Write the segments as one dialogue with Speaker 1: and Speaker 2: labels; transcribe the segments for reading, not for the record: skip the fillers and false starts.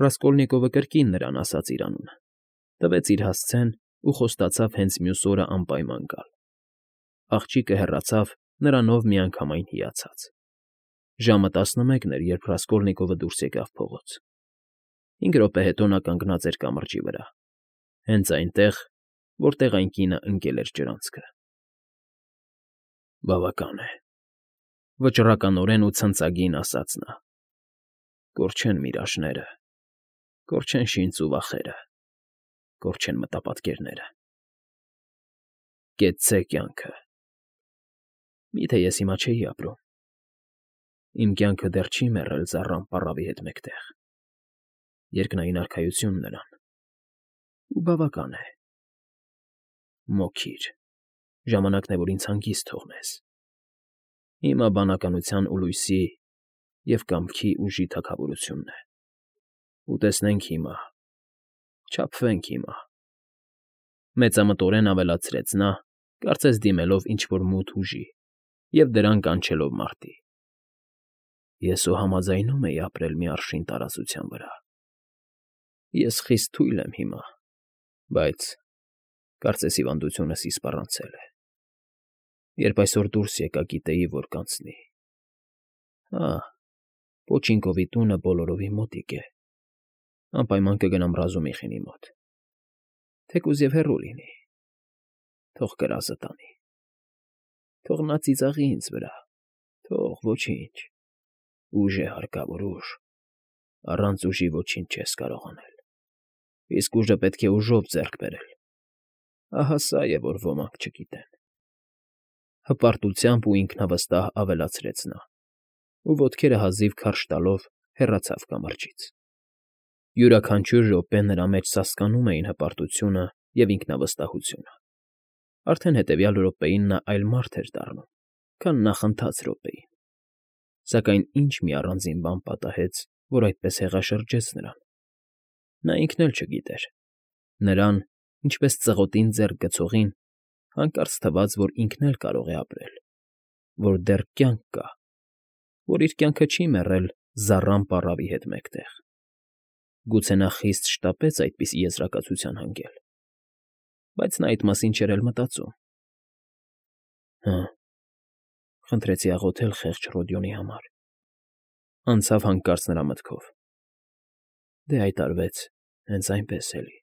Speaker 1: Ռասկոլնիկովը կրկին նրան ասաց իր անունը, տվեց իր հասցեն ու խոստացավ հենց մյուս օրը անպայման գալ։ Աղջիկը հեռացավ, նրանով միանգամայն հիացած։ Ժամը 11 էր, երբ Ռասկոլնիկովը դուրս եկավ փողոց։ 5 րոպե հետո նա կանգնած էր կամրջի վրա, հենց այնտեղ, որտեղ այն կինը ընկել էր ջրանցքը։ Բավական է, վճռականորեն ու ցնծագին ասաց նա։ Կորչեն միրաժները, կորչեն շինծ ու վախերը, կորչեն մտապատկերները։ Կեցցե կյանքը։ Միթե ես հիմա չէի ապրում։ Իմ կյանքը դեռ չի մեռել զառամ պառավի հետ մեկտեղ։ Երկնային արքայություն նրան։ Ու բավական է։ Մոքիր, ժամանակն է, որ ինձ հանգիստ թողնես։ Հիմա բանականության ու լույսի և կամքի ուժի թագավորությունն է։ Ուտեսնենք հիմա, չափվենք հիմա։ Մեծամտորեն ավելացրեց նա, կարծես դիմելով ինչ֊որ մութ ուժի և դրան կանչելով մարտի։ Ես ու համաձայնում էի ապրել մի արշին տարածության վրա։ Ես խիստ թույլ եմ հիմա, բայց կարծես հիվանդությունս իսպառանցել է։ Երբ այսօր դուրս եկա, գիտեի, որ կանցնի։ Պոչինկովի տունը բոլորովին մոտիկ է։ Անպայման կգնամ Ռազումիխինի մոտ։ Թեկուզ և հեռու լինի։ Թող կրազը տանի։ Թող նա ծիծաղի ինձ վրա։ Թող, ոչինչ։ Ուժ է հարկավոր, ուժ։ Առանց ուժի ոչինչ չես կարող անել։ Իսկ ուժը պետք է ուժով ձեռք բերել։ Ահա սա է, որ ոմանք չգիտեն։ Հպարտությամբ ու ինքնավստահ ավելացրեց նա, ու ոտքերը հազիվ քարշ տալով հեռացավ կամրջից։ Յուրաքանչյուր րոպե նրա մեջ սասկանում էին հպարտությունը և ինքնավստահությունը։ Արդեն հետևյալ րոպեին նա այլ մարդ էր դառնում, քան նախընթաց րոպեին։ Սակայն ինչ մի առանձին բան պատահեց, որ այդպես հեղաշրջեց նրան։ Նա ինքն էլ չգիտեր։ Նրան, ինչպես ծղոտին ձեռք գցողին, հանկարծ թվաց, որ ինքն էլ կարող է ապրել, որ դեռ կյանք կա, որ իր կյանքը չի մեռել զառամ պառավի հետ մեկտեղ։ Գուցե նա խիստ շտապեց այդպիսի եզրակացության հանգել, բայց նա այդ մասին չէր էլ մտածում։ Խնդրեցի աղոթել խեղճ Ռոդիոնի համար, անցավ հանկարծ նրա մտքով։ Դե այդ արվեց հենց այնպես էլի։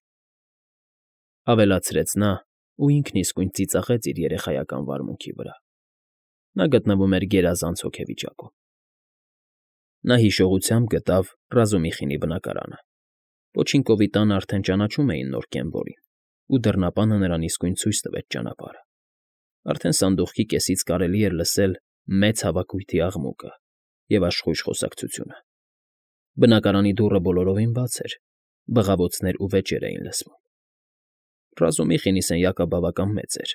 Speaker 1: Ավելացրեց նա ու ինքն իսկույն ծիծաղեց իր երեխայական վարմունքի վրա։ Նա գտնվում էր գերազանց հոգեվիճակում։ Նա հիշողությամբ գտավ Ռազումիխինի բնակարանը։ Պոչինկովի տանը արդեն ճանաչում էին նոր կենվորին, ու դռնապանը նրան իսկույն ցույց տվեց ճանապարհը։ Արդեն սանդուղքի կեսից կարելի էր լսել մեծ հավաքույթի աղմուկը և աշխույժ խոսակցությունը։ Բնակարանի դուռը բոլորովին բաց էր, բղավոցներ ու վեճեր էին լսվում։ Ռազումիխինի սենյակը բավական մեծ էր,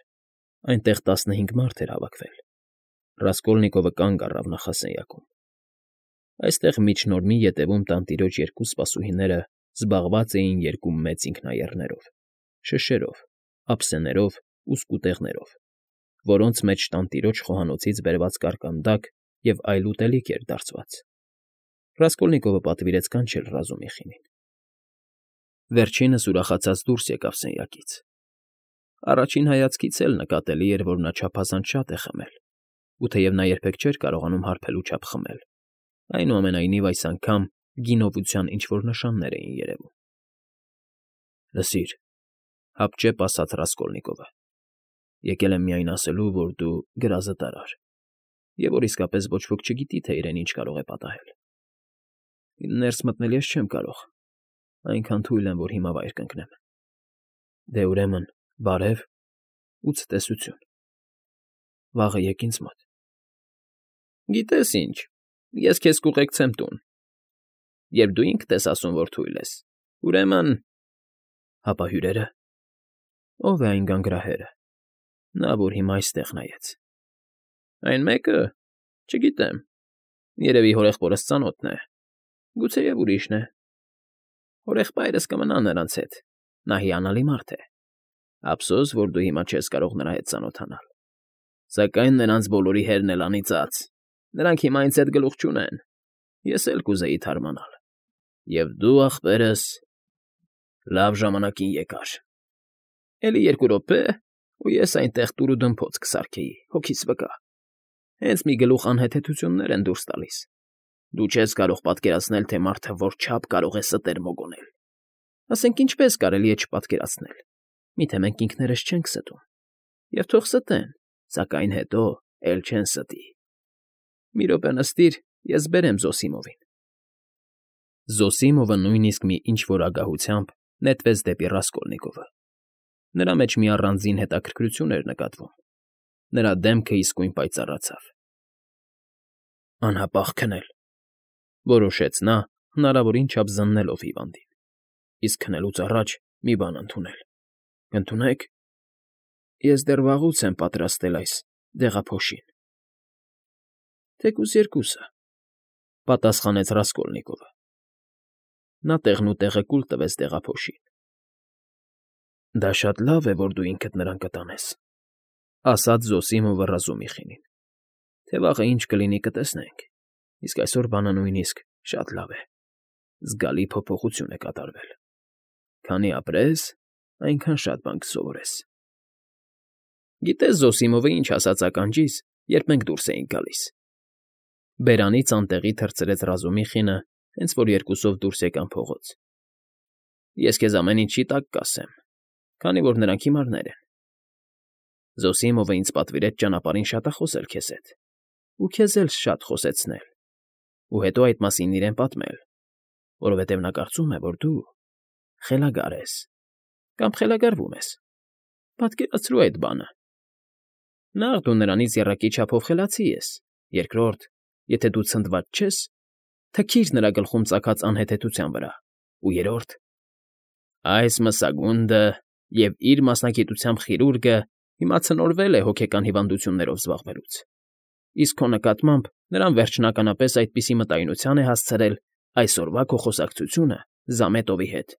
Speaker 1: այնտեղ 15 մարդ էր հավաքվել։ Ռասկոլնիկովը կանգ առավ նախասենյակում։ Այստեղ միջնորմի ետևում տանտիրոջ երկու սպասուհիները զբաղված էին երկու մեծ ինքնաեռներով, շշերով, ափսեներով ու սկուտեղներով, որոնց մեջ տանտիրոջ խոհանոցից բերված կարկանդակ և այլ ուտելիք էր դարծված։ Ռասկոլնիկովը պատվիրեց կանչել Ռազումիխինին։ Վերջինս ուրախացած դուրս եկավ սենյակից։ Առաջին հայացքից էլ նկատելի էր, որ նա չափազանց շատ է խմել, ու թեև նա երբեք չէր կարողանում հարբելու չափ խմել, այնուամենայնիվ այս անգամ գինովության ինչ֊որ նշաններ էին երևում։ Լսիր, հապճեպ ասաց Ռասկոլնիկովը, եկել եմ միայն ասելու, որ դու գրազը տարար, և որ իսկապես ոչ ոք չգիտի, թե իրեն ինչ կարող է պատահել։ Ներս մտնել ես չեմ կարող, այնքան թույլ եմ, որ հիմա վայր կընկնեմ։ Դե ուրեմն, բարև ու ցտեսություն։ Վաղը եկ ինձ մոտ։ Գիտես ինչ, ես քեզ կուղեկցեմ տուն։ Երբ դու ինքդ ես ասում, որ թույլ ես, ուրեմն… Հապա հյուրերը… Ո՞վ է այն գանգրահերը, նա, որ հիմա այստեղ նայեց։ Այն մեկը… Չգիտեմ, երևի հորեղբորս ծանոթն է, գուցեև ուրիշն է։ Հորեղբայրս կմնա նրանց հետ, նա հիանալի մարդ է։ Ափսոս, որ դու հիմա չես կարող նրա հետ ծանոթանալ։ Սակայն նրանց բոլորի հերն էլ անիծած, նրանք հիմա ինձ հետ գլուխ չունեն, ես էլ կուզեի թարմանալ։ Եվ դու, ախպերս, լավ ժամանակին եկար։ Էլի 2 րոպե, ու ես այնտեղ տուրուդմփոց կսարքեի, հոգիս վկա։ Հենց մի գլուխ անհեթեթություններ են դուրս տալիս։ Դու չես կարող պատկերացնել, թե մարդը որչափ կարող է ստեր մոգոնել։ Ասենք ինչպես կարելի է չպատկերացնել։ Միթե մենք ինքներս չենք ստում։ Եվ թող ստեն, սակայն հետո էլ չեն ստի։ Մի րոպե նստիր, ես բերեմ Զոսիմովին։ Զոսիմովը նույնիսկ մի ինչ-որ ագահությամբ նետվեց դեպի Ռասկոլնիկովը։ Նրա մեջ մի առանձին հետաքրքրություն էր նկատվում։ Նրա դեմքը իսկույն պայծառացավ։ Անհապաղ քնել, որոշեց նա, հնարավորին չափ զննելով հիվանդին։ Իսկ քնելուց առաջ մի բան ընդունել։ Կընդունե՞ք։ Ես դեռ վաղուց եմ պատրաստել այս դեղափոշին։ Թեկուզ երկուսը, պատասխանեց Ռասկոլնիկովը։ Նա տեղնուտեղը կուլ տվեց դեղափոշին։ Դա շատ լավ է, որ դու ինքդ նրան կտանես, ասաց Զոսիմովը Ռազումիխինին։ Թե վաղը ինչ կլինի կտեսնենք, իսկ այսօր բանը նույնիսկ շատ լավ է։ Զգալի փոփոխություն է կատարվել։ Քանի ապրես, այնքան շատ բան կսովորես։ Գիտես Զոսիմովը ինչ ասաց ականջիս, երբ մենք դուրս էինք գալիս։ Բերանից անտեղի թռցրեց Ռազումիխինը, հենց որ երկուսով դուրս եկան փողոց։ Ես քեզ ամեն ինչի տակ կասեմ, քանի որ նրանք հիմարներ են։ Զոսիմովը ինձ պատվիրեց ճանապարհին շատախոսել քեզ հետ, ու քեզ էլ շատ խոսեցնել, ու հետո այդ մասին իրեն պատմել, որովհետև նա կարծում է, որ դու խելագար ես կամ խելագարվում ես։ Պատկերացրու այդ բանը։ Նախ դու նրանից եռակի չափով խելացի ես, երկրորդ, եթե դու ցնդված չես, թքիր նրա գլխում ծագած անհեթեթության վրա, ու երրորդ, այս մսագունդը և իր մասնագիտությամբ խիրուրգը հիմա ցնորվել է հոգեկան հիվանդություններով զբաղվելուց, իսկ քո նկատմամբ նրան վերջնականապես այդպիսի մտայնության է հասցրել այսօրվա քո խոսակցությունը Զամետովի հետ։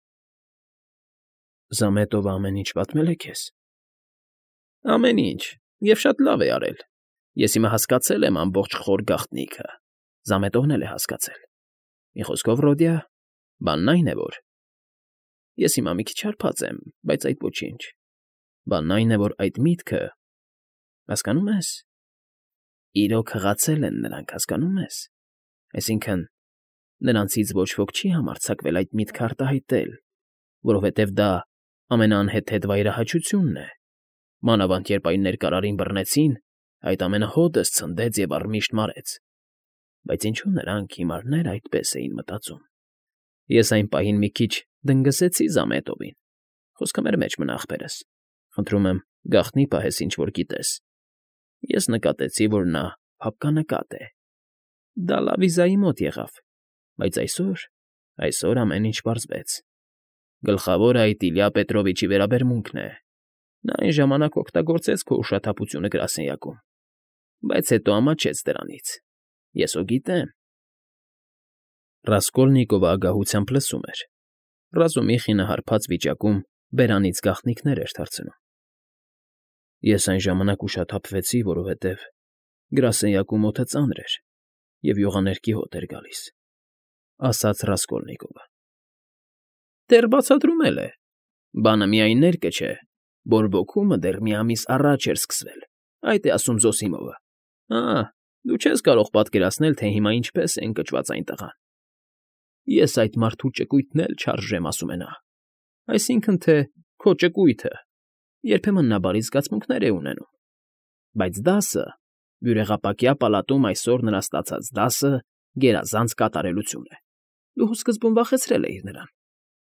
Speaker 1: Զամետովը ամեն ինչ պատմել է քեզ։ Ամեն ինչ, և շատ լավ է արել։ Ես հիմա հասկացել եմ ամբողջ խոր գաղտնիքը։ Զամետովն էլ է հասկացել։ Մի խոսքով, Ռոդիա, բանն այն է, որ… Ես հիմա մի քիչ հարբած եմ, բայց այդ ոչինչ։ Բանն այն է, որ այդ միտքը… Հասկանո՞ւմ ես։ Իրոք հղացել են նրանք, հասկանո՞մ ես։ Այսինքն, նրանցից ոչ ոք չի համարձակվել այդ միտքը արտահայտել, որովհետև դա ամենաանհեթեթ վայրահաչությունն է։ Մանավանդ երբ այն ներկարարին բռնեցին, այդ ամենը հօդս ցնդեց և առմիշտ մարեց։ Բայց ինչու նրանք հիմարներ այդպես էին մտածում։ Ես այն պահին մի քիչ դնգզեցի Զամետովին։ Խոսքը մեր մեջ մնա, ախպերս։ Խնդրում եմ, գաղտնի պահես ինչ-որ գիտես։ Ես նկատեցի, որ նա փափկանկատ է։ Դա Լավիզայի մոտ եղավ, բայց այսօր ամեն ինչ պարզվեց։ Գլխավորը այդ Իլյա Պետրովիչի վերաբերմունքն է։ Նա այն ժամանակ օգտագործեց քո ուշաթափությունը գրասենյակում, բայց հետո ամաչեց դրանից։ Ես հո գիտեմ։ Ռասկոլնիկովը ագահությամբ լսում էր։ Ռազումիխինը հարբած վիճակում բերանից գաղտնիքներ էր թռցնում։ Ես այն ժամանակ ուշաթափվեցի, որովհետև գրասենյակում օդը ծանր էր և յուղաներկի հոտ էր գալիս, ասաց Ռասկոլնիկովը։ Դեռ բացատրում էլ է։ Բանը միայն ներկը չէ, բորբոքումը դեռ մի ամիս առաջ էր սկսվել, այդ է ասում Զոսիմովը։ Դու չես կարող պատկերացնել, թե հիմա ինչպես է ընկճված այն տղան։ Ես այդ մարդու ճկույթն էլ չարժեմ, ասում է նա։ Այսինքն, թե քո ճկույթը, երբեմն նա բարի զգացմունքներ է ունենում։ Բայց դասը, բյուրեղապակյա պալատում այսօր նրա ստացած դասը գերազանց կատարելություն է։ Դու սկզբում վախեցրել էիր նրան,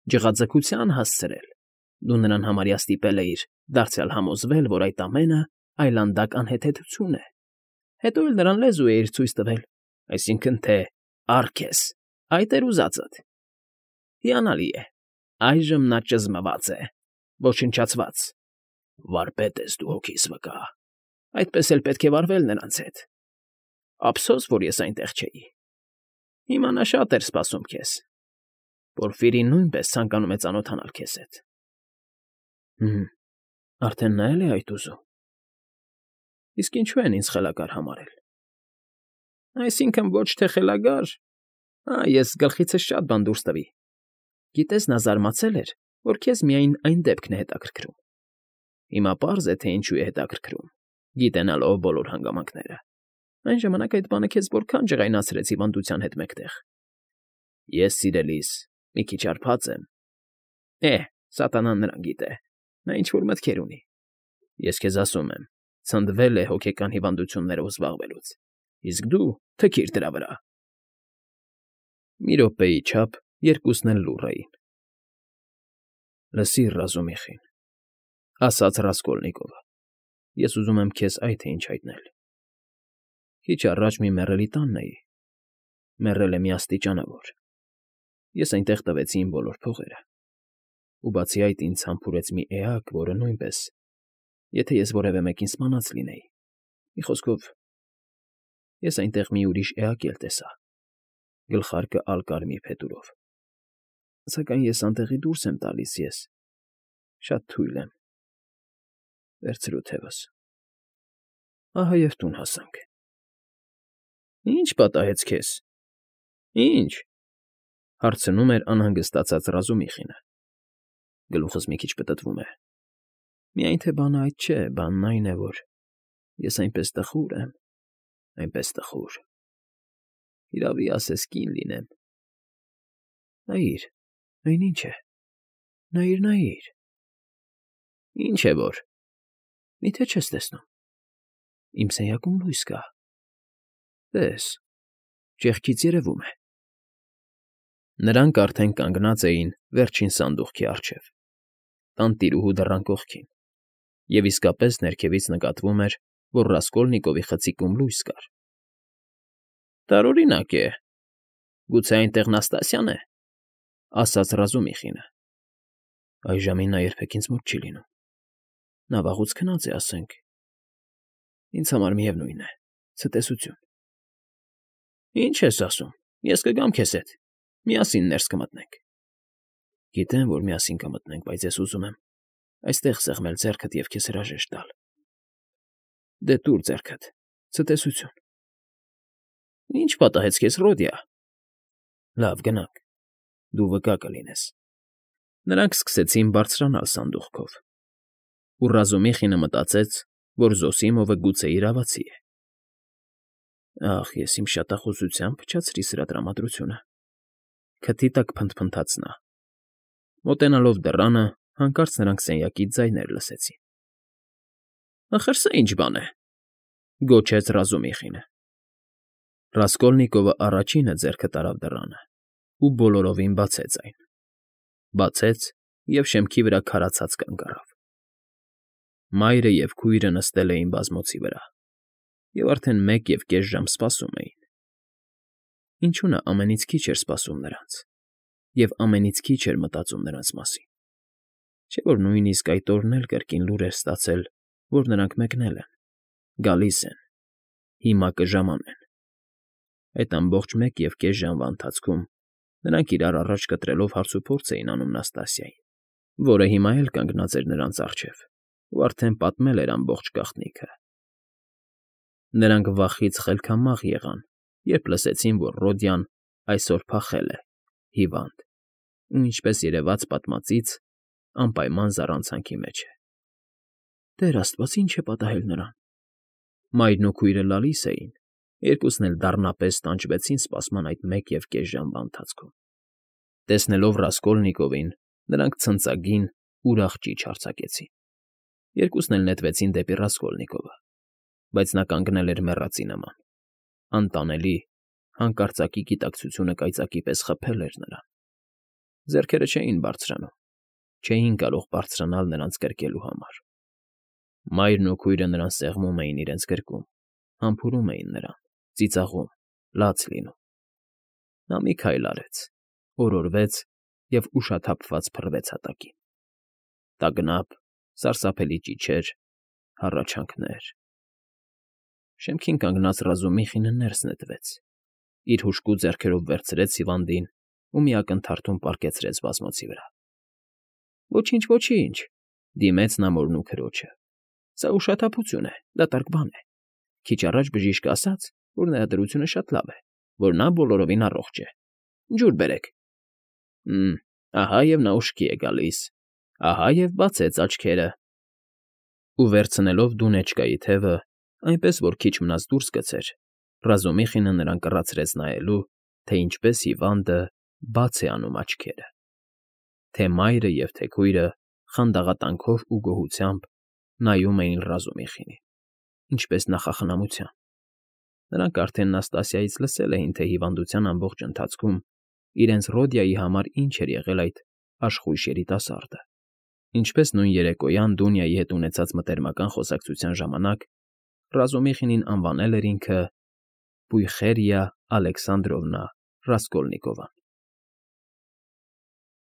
Speaker 1: ջղաձգության հասցրել։ Դու նրան համարյա ստիպել էիր դարձյալ համոզվել, որ այդ ամենը այլանդակ անհեթեթություն է։ Հետո էլ նրան լեզու էիր ցույց տվել, այսինքն թե «Ա՛ռք ես», այդ էր ուզածդ։ Հիանալի է, այժմ նա ճզմված է, ոչնչացված։ Վարպետ ես դու, հոգիս վկա, այդպես էլ պետք է վարվել նրանց հետ։ Ափսոս, որ ես այնտեղ չէի։ Հիմա նա շատ էր սպասում քեզ։ Պորֆիրին նույնպես ցանկանում է ծանոթանալ քեզ հետ։ Արդեն նա էլ է այդ ուզում։ Իսկ ինչու են ինձ խելագար համարել։ Այսինքն ոչ թե խելագար, Ես գլխիցս շատ բան դուրս տվի։ Գիտես, նա զարմացել էր, որ քեզ միայն այն դեպքն է հետաքրքրում։ Հիմա պարզ է, թե ինչու է հետաքրքրում, գիտենալով բոլոր հանգամանքները։ Այն ժամանակ այդ բանը քեզ որքան ջղայնացրեց հիվանդության հետ մեկտեղ։ Ես, սիրելիս, մի քիչ արփած եմ։ Սատանան նրան գիտե։ Նա ինչ-որ մտքեր ունի։ Ես քեզ ասում եմ, ցնդվել է հոգեկան հիվանդություններով զբաղվելուց։ Իսկ դու թքիր դրա վրա։ Մի րոպեի չափ երկուսն էլ լուռ էին։ Լսիր, Ռազումիխին, ասաց Ռասկոլնիկովը, ես ուզում եմ քեզ այդ թե ինչ հայտնել։ Քիչ առաջ մի մեռելի տանն էի։ Մեռել է մի աստիճանավոր։ Ես այնտեղ տվեցի իմ բոլոր փողերը։ Ու բացի այդ ինձ համբուրեց մի էակ, որը նույնպես, եթե ես որևէ մեկին սպանած լինեի։ Մի խոսքով, ես այնտեղ մի ուրիշ էակ էլ տեսա, գլխարկը ալկարմիր փետուրով։ Սակայն ես անտեղի դուրս եմ տալիս ես։ Շատ թույլ եմ։ Վերցրու թևս։ Ահա և տուն հասանք։ Ի՞նչ պատահեց քեզ։ Ի՞նչ, հարցնում էր անհանգստացած Ռազումիխինը։ Գլուխս մի քիչ պտտվում է։ Միայն թե բանը այդ չէ, բանն այն է, որ ես այնպես տխուր եմ, այնպես տխուր։ Իրավի ասես կին լինեմ։ Նայիր, այն ինչ է։ Նայիր։ Ինչ է որ։ Միթե չես տեսնում։ Իմ սենյակում լույս կա։ Տես, ճեղքից երևում է։ Նրանք արդեն կանգնած էին վերջին սանդուղքի առջև, տանտիրուհու դռան կողքին, և իսկապես ներքևից նկատվում էր, որ Ռասկոլնիկովի խցիկում լույս կար։ Տարօրինակ է։ Գուցե այնտեղ Նաստասիան է, ասաց Ռազումիխինը։ Այժմին նա երբեք ինձ մոտ չի լինում։ Նա վաղուց քնած է, ասենք։ Ինձ համար միևնույն է, ցտեսություն։ Ինչ ես ասում, ես կգամ քեզ հետ, միասին ներս կմտնենք։ Գիտեմ, որ միասին կմտնենք, բայց ես ուզում եմ այստեղ սեղմել ձեռքդ և քեզ հրաժեշտ տալ։ Դե տուր ձեռքդ, ցտեսություն։ Ինչ պատահեց քեզ, Ռոդիա։ Լավ, գնանք, դու վկա կլինես։ Նրանք սկսեցին բարձրանալ սանդուղքով, ու Ռազումիխինը մտածեց, որ Զոսիմովը գուցե իրավացի է։ Ախ, ես իմ շատախոսությամբ փչացրի սրա տրամադրությունը։ Քթի տակ փնթփնթաց նա։ Մոտենալով դռանը, հանկարծ նրանք սենյակից ձայներ լսեցին։ Ախր սա ինչ բան է, գոչեց Ռազումիխինը։ Ռասկոլնիկովը առաջինը ձեռքը տարավ դռանը ու բոլորովին բացեց այն։ Բացեց և շեմքի վրա քարացած կանգ առավ։ Մայրը և քույրը նստել էին բազմոցի վրա և արդեն 1.5 ժամ սպասում էին։ Ինչու նա ամենից քիչ էր սպասում նրանց և ամենից քիչ էր մտածում նրանց մասին։ Չէ՞ որ նույնիսկ այդ օրն էլ կրկին լուր էր ստացել, որ նրանք մեկնել են, գալիս են, հիմա կժամանեն։ Այդ ամբողջ 1.5 ժամվա ընթացքում նրանք իրար առաջ կտրելով հարցուփորձ էին անում Նաստասիային, որը հիմա էլ կանգնած էր նրանց առջև ու արդեն պատմել էր ամբողջ գաղտնիքը։ Նրանք վախից խելքամաղ եղան, երբ լսեցին, որ Ռոդիան այսօր փախել է, հիվանդ, ու ինչպես երևաց պատմածից, անպայման զառանցանքի մեջ է։ Տեր աստված, ինչ է պատահել նրան։ Մայրն ու քույրը լալիս էին, երկուսն էլ դառնապես տանջվեցին սպասման այդ 1.5 ժամվա ընթացքում։ Տեսնելով Ռասկոլնիկովին, նրանք ցնծագին, ուրախ ճիչ արձակեցին։ Երկուսն էլ նետվեցին դեպի Ռասկոլնիկովը, բայց նա կանգնել էր մեռածի նման։ Անտանելի, հանկարծակի գիտակցությունը կայծակի պես խփել էր նրան։ Ձեռքերը չէին բարձրանում, չէին կարող բարձրանալ նրանց կրկելու համար։ Մայրն ու քույրը նրան սեղմում էին իրենց գրկում, համբուրում էին նրան, ծիծաղում, լաց լինում։ Նա մի քայլ արեց, օրորվեց և ուշաթափված փռվեց հատակին։ Տագնապ, սարսափելի ճիչեր, հառաչանքներ։ Շեմքին կանգնած Ռազումիխինը ներս նետվեց, իր հուժկու ձեռքերով վերցրեց հիվանդին ու մի ակնթարթում պառկեցրեց բազմոցի վրա։ Ոչինչ, դիմեց նա մորն ու քրոջը։ Սա ուշաթափություն է, դատարկ բան է։ Քիչ առաջ բժիշկը ասաց, որ նրա դրությունը շատ լավ է, որ նա բոլորովին առողջ է, Ջուր բերեք։ Ահա և նա ուշքի է գալիս, ահա և բացեց աչքերը։ Ու վերցնելով դունեջկայի թևը, այնպես որ քիչ մնաց դուրս գցեր, Ռազումիխինը նրան կռացրեց նայելու, թե ինչպես հիվանդը բաց է անում աչքերը, թե մայրը և թե քույրը խանդաղատանքով ու գոհությամբ նայում էին Ռազումիխինին, ինչպես նախախնամության. նրանք արդեն Նաստասիայից լսել էին, թե հիվանդության ամբողջ ընթացքում իրենց Ռոդիայի համար ինչ էր եղել այդ աշխույժ երիտասարդը, ինչպես նույն երեկոյան Դունիայի հետ ունեցած մտերմական խոսակցության ժամանակ Ռազումիխինին անվանել էր ինքը Պույխերիա Ալեքսանդրովնա Ռասկոլնիկովան։